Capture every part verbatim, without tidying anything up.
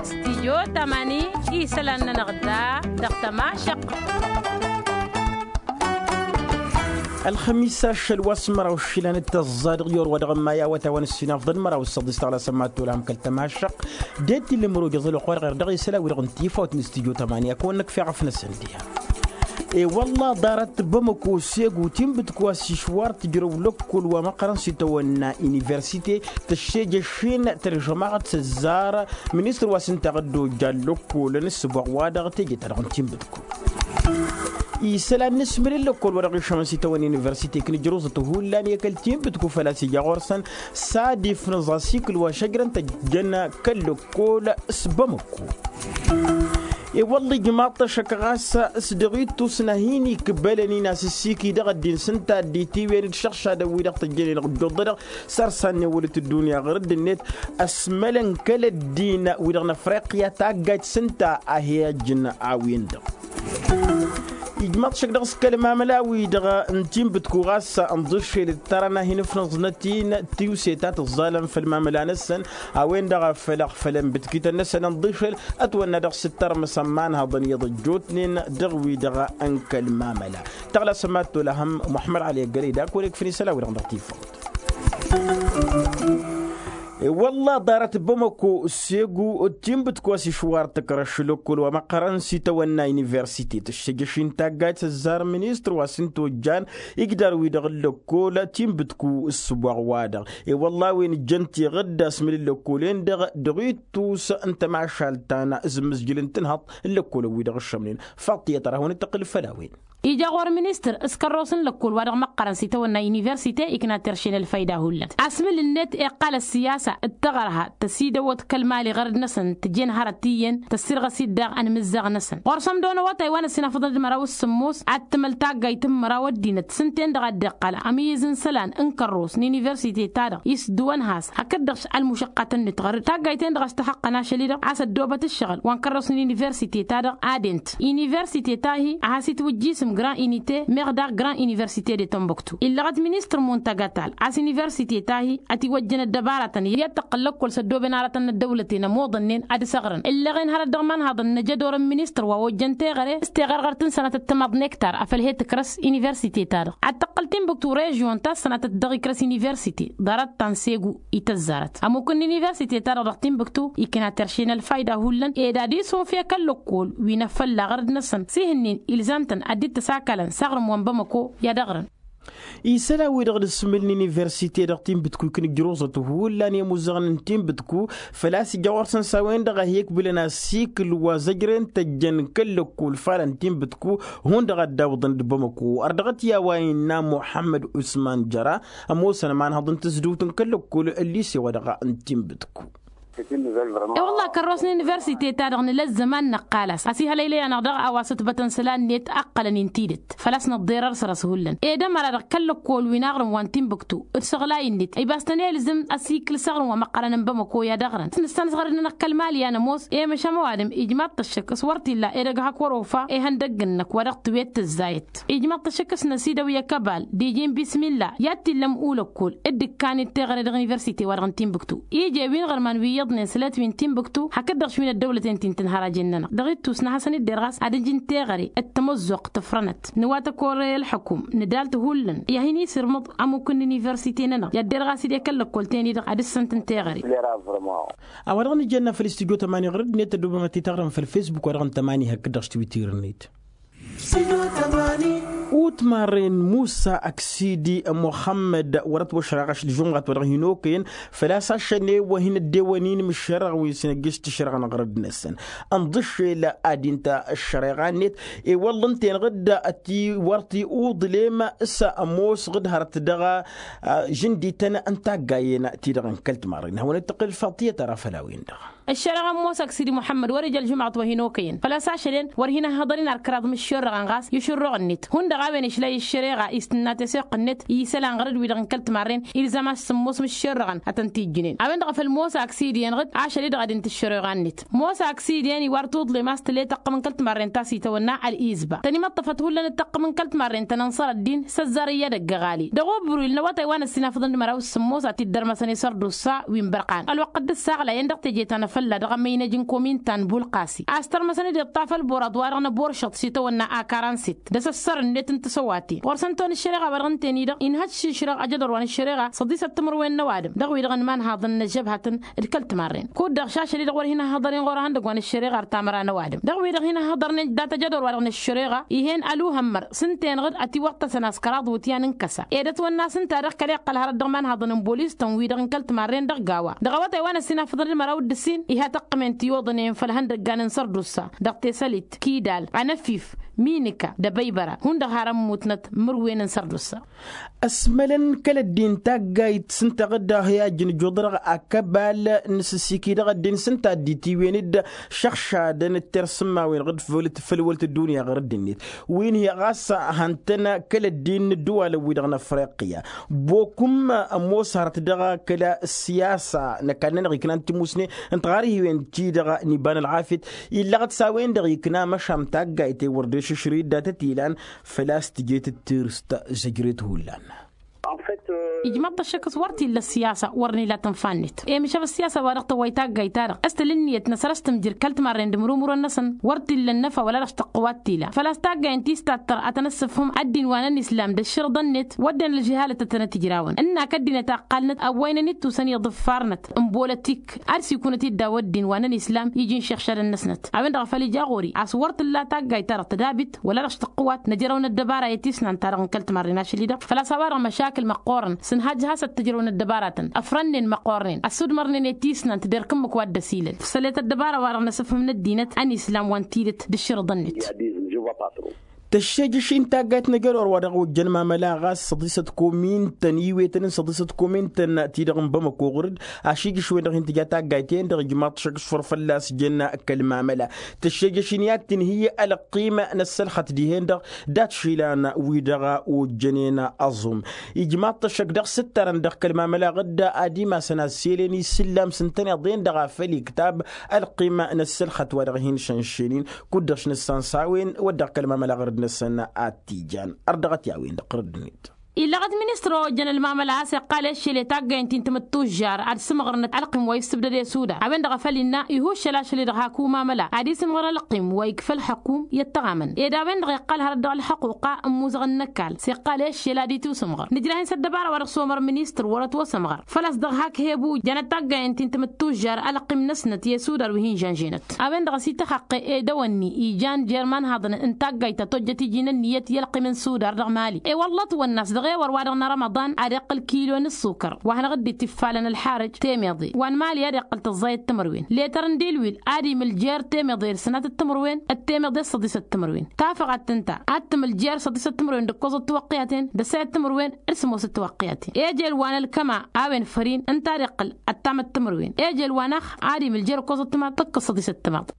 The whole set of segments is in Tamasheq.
Stijyo tamani isălan-nănăɣ da dăɣ-tămašăq. Ălxămis ašăl wa s-măraw išilan d-tăẓẓa dăɣ-yorwa dăɣ-ămmayawăt a-wa n-ǝssinafḍăn măraw s-săḍis taɣla s-ămmattul a hăm kăl-tămašăq. Dd-e-t-illa ămăro d-iẓăl oqor ɣer dăɣ-isălan wi-dăɣ n-tifawt n-stijyo tamani a kăwăn-năkf iɣăf-năsăn diha. E-wălla ḍarăt bamăko segu tinbǝtku a-s išwar tǝjrăw lăkkol wa măqqărăn s-itawănna universite tăššejăšin tălžămaɣăt s-ăzzar ministăr wa s-ǝnta ăddojja n-lăkkolăn ǝssǝboɣ-wa-dăɣ teje-ta-dăɣ n-tinbǝtku. Isălan n-asmǝl n-lăkkol wa dăɣ-išămăn s-itawănna universite iknǝjrǝẓăt hullan i-kăl-tinbǝtku făl-a-s ija ɣur-săn s-ad-ifnǝẓ asikǝl wa šăjrăn tăjjăn kăl-lăkkol s-bamăko. E-wălla ijmaḍ-t ăššăk ɣas s-dăɣ-ittus n-ad-hin-ikbălăn-in asǝssiki dăɣ-ăddin s-ǝnta dd-itiwǝyăn d-išăɣšadăn-wi-dăɣ tăjjăn-in ăɣjjuḍ-dăɣ s-ar sannewălăt ăddunya ɣur-dd-net. Ăsmălăn kăl-ăddin-wi-dăɣ n-afriqya taggajt s-ǝnta a hi-ăjjǝn a-wen-dăɣ. Ijmaḍ-t šăkk dăɣ-s kăl-mamăla-wi-dăɣ n-tinbǝtku ɣas ănḍǝššel ǝttărăn a hin-ǝfnǝẓnăt-in tiwse ta tǝẓẓalăn făll-mamăla-năsăn. A-wen-dăɣ a făl ăɣfălăn bǝtkităn-năsăn ănḍǝššel ătwănna dăɣ-s ǝttărmăsăn manhăḍăn iyyăḍ ăjjootnen dăɣ-wi-dăɣ n-kăl-mamăla. Tăɣlasăm ad-tolăhăm muḥămmăd ăli ăggălăy d-ak wăr-ikfăn isălan-wi-dăɣ dăɣ-tifawt. Wălla ḍarăt bamăko segu tinbǝtku a-s išwar tǝkrăš lăkkol wa măqqărăn s-itawănna universite tǝššejăš-in taggajt s-ăzzar ministăr wa s-ǝnta ojjan igdar-wi-dăɣ n-lăkkol tinbǝtku ǝssǝboɣ-wa-dăɣ. E-wălla a-wen ǝjjăn tiɣǝdda asmǝl n-lăkkolen-dăɣ dăɣ-ittus n-tămašalt ta n-azǝmmǝzjǝl n-tǝnhăḍt n-lăkkolăn-wi-dăɣ ǝššămnen. Faḍt tiyyăt ar hawăn-dd-tăqqǝl făll-a-wen. Ija ɣur-ministăr s-kărros n-lăkkol wa dăɣ-măqqărăn s-itawănna universite ikna terše n-ălfăyda hullan asmǝl-net iqqal ăssiyasa d-taɣărha tăsidăwăt kăl-mali ɣărăd-năsăn tǝjen hărăt iyyăn tăssirɣăs-dd daɣ ănmǝzzaɣ-năsăn ɣur-săn d-onăwătay wa n-ăssinafăḍăn d-măraw s-sǝmmos ad-tǝmăl taggayt n-măraw ăddinăt s-ǝnta-en-dăɣ a dd-iqqăl ămǝyyǝz n-isălan n-kărros n-universite-ta-dăɣ isdǝwăn has hakd-dăɣ ălmušăqqatăn-net ɣărăd taggayt-en-dăɣ a-s tăxăqqăn ašăl-i-dăɣ a-s ăddoobăt ǝššăɣǝl wa n-kărros n-universite-ta-dăɣ ad-ent universite-ta-hi a has-itwǝjjisǝm grand unité meɣ daɣ grand université de tomboktu illăɣăt ministăr muntagatal a-s universite-ta-hi ătiwăjjăn ăddăbaratăn i-ad-tăqqǝl lăkkol s-ăddooben aratăn n-ăddăwlăten ămoḍănnen ad-săɣrăn ǝllăɣen hărăt dăɣ-imanhaḍăn n-ajădor n-ministăr wa ojjăn teɣăre s-teɣărɣărt n-sănatăt timaḍ nektar a făl he-tǝkrăs universite-ta-dăɣ ad-tăqqǝl tinbǝktu režion ta s-sănatăt dăɣ-ikrăs universite ḍarăt ta n-segu ităzzarăt ămmuk n-universite-ta-dăɣ dăɣ-tinbǝktu ikna terše n-ălfayda hullan ed ad-isunfe kăl-lăkkol wi n-afălla ɣărăd-năsăn s-ihǝnnin ilzam-tăn ad-dd-tăsakalăn s-aɣrǝm wa n-bamăko i-ad-ăɣrǝn. Isălan-wi-dăɣ d-asmǝl n-universite dăɣ-tinbǝtku ikna ǝjruẓăt hullan i-imuzăɣăn n-tinbǝtku făl-a-s ija ɣur-săn s-a-wen-dăɣ a hi-ǝkbǝlăn asikǝl wa zăjren tăjjăn kăl-lăkkol falăn tinbǝtku hundăɣ ad-dd-awǝḍăn d-bamăko ar dăɣ-t i-a-wa innă muḥămmăd usman jăra ămoosăn ămanhăḍ n-tǝzdǝwt n-kăl-lăkkol ăllise-wa-dăɣ n-tinbǝtku. E-wălla kărros n-universite-ta-dăɣ nǝla ăzzăman năqqal-as ăsihălăylăy-anăɣ dăɣ-a-wa s-ǝtbătăn isălan-net ǝqqălăn-in tidǝt făl-a-s nǝḍḍerăr săr-ăshullan ed ămăra dăɣ-kăl-lăkkol wi n-aɣrǝm wa n-tinbǝktu d-săɣlay-net ibas tăn-ilzǝm ăsikǝl s-aɣrǝm wa măqqărăn n-bamăko i-ad-ăɣrǝn s-nǝssanăs ɣărăd-nănăɣ kăl-mali a nămoos i-măšan ăwadǝm ijmaḍ-t ăššăk s-wăr t-illa edăgg hak wăr-ofa ihăndăgg-nănăk wa dăɣ-tǝwet tǝzzayăt ijmaḍ-t ăššăk s-năsidăw i-akăbal d-iji n-bismilla i-ad-t-illăm ulăkkol dd-ǝkkan-dd teɣăre dăɣ-universite-wa-dăɣ n-tinbǝktu ije wi n-iɣărman wi iyyăḍnen sălet wi n-tinbǝktu hakd-dăɣ š-wi n-ăddăwlăten ti n-tǝnhăr ajen-nănăɣ dăɣ-ittus n-ad-hasăn-dd-irɣas ad-ǝjǝn teɣăre d-tamăzzuɣt tǝfrănăt nǝwatăk orăy ălḥăkum nǝdal-t hullan i-ad-hin-isǝrmǝḍ ămmuk n-universite-nănăɣ i-ad-derɣas-dd i-kăl-lăkkol-ten-i-dăɣ ad-ǝssăn-tăn teɣăre. A-wa dăɣ-nǝjănna făll-studyo tămani ɣur-dd-net tăddoobăm ad-t-taɣrǝm făll-facebook wa dăɣ-nǝtămani hakd-dăɣ s-twitter-net. Utmarren musa ăksidi muxămmăd wăr-ătwăšrăɣ ašăl žumɣat wa dăɣ-hin-okăyăn făl-a-s ašăl n-e-wăhin ăddewăn-in mǝššărăɣ wi s-năjjǝš tǝšrăɣ n-aɣrǝd-năsăn ǝnḍǝššel ad-inta ăššăreɣa-net. I-wălla ǝnta-enăɣ dd-ătiwăr ti uḍlem s-ămoosăɣ d-hărăt dăɣ-žǝndităn n-taggayen-ti-dăɣ n-kăl-timarren hawăn-dd-tăqqǝl ǝlfaḍ tiyyăt ara făll-a-wen-dăɣ. Ăššăreɣa n-mosa aksidi muḥămmăd wăr-ija ălžumăɣăt wa hin-okăyăn făl-a-s ašălen wăr hin-ăhhăḍăn-in ar kăraḍ imǝššerrăɣăn ɣas i-ašǝrruɣ-net hundăɣ a-wen išlay ăššăreɣa istǝnna teseɣt-net i-isălan ɣărăd-wi-dăɣ n-kăl-timarren. Ilzam a-s sǝmmos imǝššerrăɣăn ad-tăn-t-ijjǝnen a-wen-dăɣ a făl mosa aksidi-en ɣǝd ašăl-i-dăɣ ad-int ăššăreɣa-net. Mosa aksidi-en iwar tuḍlem a-s tǝla i-taqqǝm n-kăl-timarren ta s-itawănna ălizba tăn-imăṭṭăfăt hullan d-taqqǝm n-kăl-timarren ta n-ănṣăr ăddin s-ăzzar iyyăd ăgg-aɣali dăɣ-obru ilnăwătay wa n-ăssinafăḍăn d-măraw s-sǝmmos ad-t-dd-ărmăsăn isărdusa wi n-bărqan ălwăqq dd-ǝssaɣlayăn dăɣ-teje ta n-afălla dăɣ-amăynăj n-komin ta n-bulqasi a-s tărmăsăn-dd iṭṭaf ălboraḍ-wa-dăɣ n-ăboršăḍ s-itawănna a karansit d-asăssărnet n-tǝsăwaten ɣur-săn toni ăššăreɣa-wa-dăɣ ǝnta-en-i-dăɣ inhăjšǝšrăɣ ajădor wa n-ăššăreɣa săḍisăt timǝrwen n-ăwadǝm dăɣ-wi-dăɣ n-imanhaḍăn n-ăžžăbhătăn d-kăl-timarren kud-dăɣ šašăl-i-dăɣ wăr hin-ăhhăḍăr-in ɣur-ehăndăgg wa n-ăššăreɣa ar tamăra n-ăwadǝm dăɣ-wi-dăɣ hin-ăhhăḍărnen dat-ajădor-wa-dăɣ n-ăššăreɣa ih'-en ăluhămmăr s-ǝnta-enăɣ-dd ătiwăṭṭăsăn a-s kăraḍ iwǝtyan n-kăsa ed ătwănna s-ǝnta-dăɣ kăla iqqăl hărăt dăɣ-imanhaḍăn n-bolis-tăn-wi-dăɣ n-kăl-timarren dăɣ-gawa dăɣ-awătay wa n-ăssinafăḍăn d-măraw d-ǝssin iha tăqqǝmen tiwǝḍnen făll-ihăndăggan n-sărdusa dăɣ-tesălit kidal anăfif minǝka d-abăybăra hundăɣ har ămmutnăt mǝrwen n-sărdusa. Ăsmălăn kăl-ăddin taggayt s-ǝnta ɣǝdda hi-ajjăn ǝjjuḍărăɣ akăbal n-asǝssiki dăɣ-ăddin s-ǝnta dd-itiwen-dd šăɣšadăn d-tersǝmmawen ɣǝd făll-wălt ăddunya ɣăr ăddinnet wi n-hi ɣas hăn-tăn kăl-ăddin n-ǝddǝwalăn-wi-dăɣ n-afriqya. Bokum ămoos hărăt dăɣ-kăla ăssiyasa n-ăkall-nănăɣ iknan timusne ǝnta ɣar ihiwen-ti-dăɣ n-iba n-ălɣafyăt illăɣăt s-a-wen-dăɣ ikna măšan taggayt i-wăr dd-ešǝšrǝy dd-atăt ilan făl-a-s tǝjet d-tirǝst zăjret hullan. Ijmaḍ-t ăššăk s-wăr t-illa ăssiyasa wăr nǝla tǝnfa-net i-mǝšab ăssiyasa wa dăɣ-tăwway taggayt-ta-dăɣ s-tǝl ǝnniyăt-năsăn a-s tǝmjǝr kăl-timarren d-imrumǝrăn-năsăn wăr t-illa ănnăfa wăla dăɣ-s tăqqǝwat tila făl-a-s taggay ǝnta istattăr ad-tăn-ăssǝfhǝm ăddin wa n-ănislam d-ăššărḍăn-net wădden ălžǝhalăt ad-tănăt-ijrawăn ǝnnak ăddinăt a ǝqqalnăt ăwwăynăn ittusăn iḍǝffarnăt n-bolătik ad-sikunăt-dd daw-ăddin wa n-ănislam iji n-išixšadăn-năsnăt a-wen-dăɣ a făl ija ɣur-i a-s wăr t-tǝlla taggayt-ta-dăɣ tǝdabit wăla dăɣ-s tăqqǝwat năjrăw n-ăddăbara i-tisnan-ta-dăɣ n-kăl-timarren ašăl-i-dăɣ făl-a-s a-wa-dăɣ măšakǝl măqqoorăn s-ǝnhajj hasăt tǝjrăw n-ăddăbaratăn ăfrănnen măqqoornen ăssudmărnen i-tisnan tǝderk ǝmmǝk wa dd-ăsilăl făl-e-t ăddăbara-wa-dăɣ n-asǝfhǝm n-ăddinăt ănislam wa n-tidǝt d-ǝššărḍăn-net. Tăššejăš-in taggayt n-ajădor wa dăɣ-ojjăn mamăla ɣas săḍisăt komintăn iwetăn n-săḍisăt komintăn-ti-dăɣ n-bamăko ɣur-dd ašijǝš-wen-dăɣ hin-tǝja taggayt-en-dăɣ ijmaḍ-t ašăk s-făr fălla-s jăn kăl-mamăla. Tăššejăš-in i-ad-tǝnhǝy ălqim n-ăssălxăt dihen-dăɣ dat-išilan-wi-dăɣ ojjănen aẓum. Ijmaḍ-t ašăk dăɣ-sǝttărăn dăɣ-kăl-mamăla ɣǝdda ad-imasăn asselăn isǝllam s-ǝntăneḍ-en-dăɣ a făl iktab ălqim n-ăssălxăt wa dăɣ-hin-šănšen-in kud-dăɣ š-nǝssan s-a-wen wăr dăɣ-kăl-mamăla ɣărăd-năsăn ad-t-ijan. Ărdăɣăt i-a-wen-dăɣ ɣărăd-net. Illăɣăt ministăr wa ojjăn ălmamăla a-s iqqal i-aššel i-taggayăn ti n-timǝttužžar ad-sǝmɣărnăt ălqim wa issǝbdăd i-suda a-wen-dăɣ a făl innă ihuššăl ašăl-i-dăɣ hak umamăla ad-isǝmɣăr ălqim wa ikfa ălḥăkum i-ăttăɣamăn ed a-wen-dăɣ iqqal hărăt dăɣ-ălḥăquqa n-imuzăɣăn n-ăkall s-iqqal i-aššel ad-itusǝmɣăr nǝjrah-in s-ăddăbara wa dăɣ-s omăr ministăr wăr-ătwăsămɣăr făl-a-s dăɣ-hak hebu jăn ătaggay n-ti n-timǝttužžar ălqim-năsnăt i-asudar wi hin-žănženăt. A-wen-dăɣ a-s ităxăqqe ed awănni ijan jer-imanhaḍăn n-taggayt ta tojjăt iji n-ǝnniyăt i-ălqim n-sudar dăɣ-mali ewălla ătwănna a-s dăɣ-ewăr wa dăɣ-nărămăḍan ad-iqqǝl kilo n-ǝssukăr wa hanăɣ-dd-itifalăn ălxarăj temeḍe wa n-mali ad-iqqǝl tǝẓẓayăt timǝrwen letăr n-dilwil ad-imǝl jer-temeḍe d-sănatăt timǝrwen d-temeḍe d-săḍisăt timǝrwen tafăɣat tǝnta ad-tǝmǝl jer-săḍisăt timǝrwen d-ǝkkoẓăt tiwăqqiyaten d-ăssayăt timǝrwen d-sămoosăt tiwăqqiyaten ejel wa n-ălkăma a-wen făr-in ǝnta ad-iqqǝl ăttamăt timǝrwen ejel wa n-ax ad-imǝl jer-ǝkkoẓăt timaḍ tǝkkǝs săḍisăt timaḍ.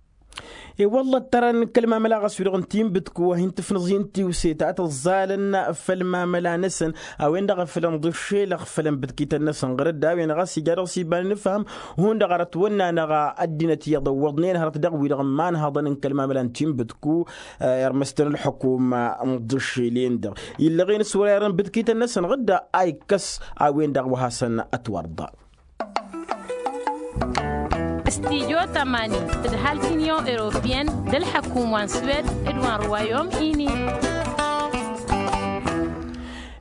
I-wălla ǝttărăn kăl-mamăla ɣas wi-dăɣ n-tinbǝtku wa hin-tǝfnǝẓ hin-tiwse ta tǝẓẓalăn făll-mamăla-năsăn a-wen-dăɣ a fălăn ḍǝššelăɣ făll-ănbǝtkităn-năsăn ɣărăd a-wen ɣas ija dăɣ-s iba n-inǝfham hundăɣ arăt wănna-năɣ ăddinăt iyyăḍ ăwwăḍnen hărăt dăɣ-wi-dăɣ n-imanhăḍăn n-kăl-mamăla n-tinbǝtku irmăstăn ǝlxǝkum n-iḍǝššel-en-dăɣ illăɣen s-wăr-irăn bǝtkităn-năsăn ɣǝdda a ikkăs a-wen-dăɣ wa hasăn-ătwărḍa. Studyo tămani d-halk union europeyăn d-ălḥăkum wa n-swed d-wa n-rwayom ini.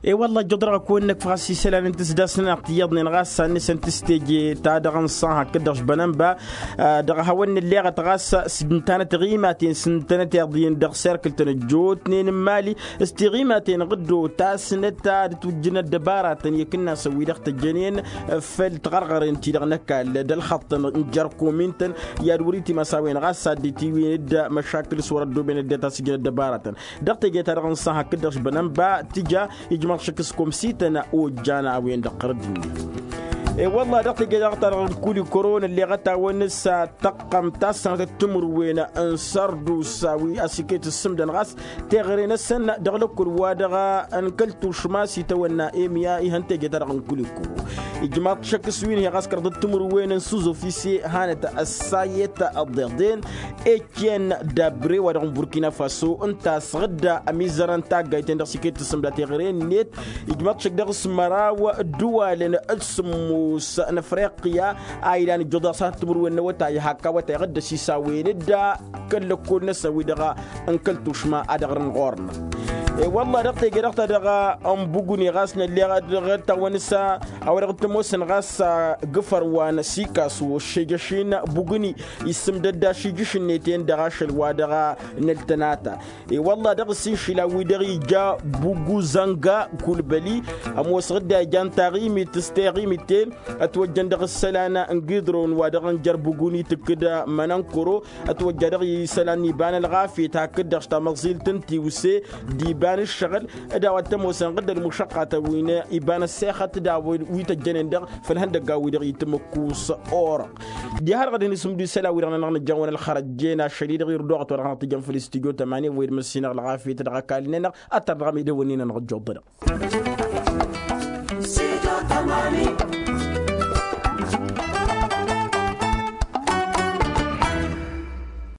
E-wălla ăjjăḍ-dăɣ ăkk wănnăkf ɣas isălan n-tisdasnănăɣ tiyyăḍnen ɣas sannăsăn tǝsteje ta dăɣ-nǝṣṣan hakd-dăɣ š-bănănba dăɣ-hawăn-nǝlleɣăt ɣas s-dd-ǝntanăt tiɣimaten s-ǝntănăt iḍyăn dăɣ-serkǝl-tăn ăjjootnen n-imali s-tiɣimaten ɣǝddo tasnăt ad-tujjǝn ăddăbaratăn i-akǝnnasăn wi-dăɣ tăjjănen făll-tiɣărɣăren-ti-dăɣ n-ăkall d-ălxăṭṭăn n-jer-komin-tăn i-ad-wăr-itimas a-wen ɣas a dd-itiwen d-măšakǝl s-wăr-ăddooben ăddinăt a-s ǝjǝn ăddăbaratăn dăɣ-teje-ta-dăɣ n-iṣṣan hakd-dăɣ š-bănănba tǝja ijmaḍ šăkk s-komsităn ojjan a-wen-dăɣ ɣărăd-net. E-wălla dăɣ-teje-dăɣ-ta-dăɣ n-kuli kăro nălleɣăt-awăn s-tăqqăm ta s-sănătăt timǝrwen n-sărdusa wi ăsikăyăt ǝssǝmdăn ɣas teɣăre-năsăn dăɣ-lăkkul wa dăɣ-n kăl-tušma s-itawănna emiya ihăn teje-ta-dăɣ n-kuli kăro. Ijmaḍ šăkk s-wi n-he ɣas kărăḍăt timǝrwen n-suzofise hanăt ăssayet ăḍeḍen. Ecen dabre wa dăɣ-n burkina faso ǝnta a-s ɣǝdda ămizărăn taggayt-en dăɣ-s iket tǝssǝmda teɣăre-net. Ijmaḍ šăkk dăɣ-s măraw ǝddǝwalăn d-sǝmmos n-afriqya a ilan ǝjjuḍ dăɣ-s hat timǝrwen n-awătay hakk awătay ɣǝdda s-isawen-dd kăl-lăkkol-năsăn wi-dăɣ n-kăl-tušma a dăɣ-rǝn ɣur-năɣ. E-wălla dăɣ-teje-dăɣ ta dăɣ-n buguni ɣas nălleɣ dăɣ-tawăn-s a-wa dăɣ-t ămoosăn ɣas gǝfăr wa n-sikaso šejăš-in buguni issǝmdăd ašijǝš-net-en dăɣ-ašăl wa dăɣ-năltănata. E-wălla dăɣ-s inšila wi-dăɣ ija buguzănga kulbăli ămoosăɣ-dd a ijan taɣimit s-teɣimit-en ătwăjjăn dăɣ-isălan n-gidron wa dăɣ-n jer-buguni tǝkkǝd mănănkăro ătwăjja dăɣ-isălan n-iba n-ălɣafyăt hakd-dăɣ tamăẓilt n-tiwse d-iba n-ǝššăɣǝl d-a-wa t-ămoosăn ɣǝdd ălmušăqqatăn wi n-iba n-ăssexăt d-a-wa wi tăjjănen dăɣ-făll-ihăndăgga-wi-dăɣ itǝmmǝkkus orăɣ. Diha-dăɣ ad-hin-isǝmdu isălan-wi-dăɣ-nănăɣ nǝjjan wa n-ălxărăjjen ašăl-i-dăɣ irduɣăt wa dăɣ-nănăɣ tǝjjăn făll-istudyo tămani wa irmǝssinăɣ ălɣafyăt dăɣ-ăkall-nănăɣ. Ăttăr dăɣ-amidăwăn-in-anăɣ ăjjuḍănăɣ.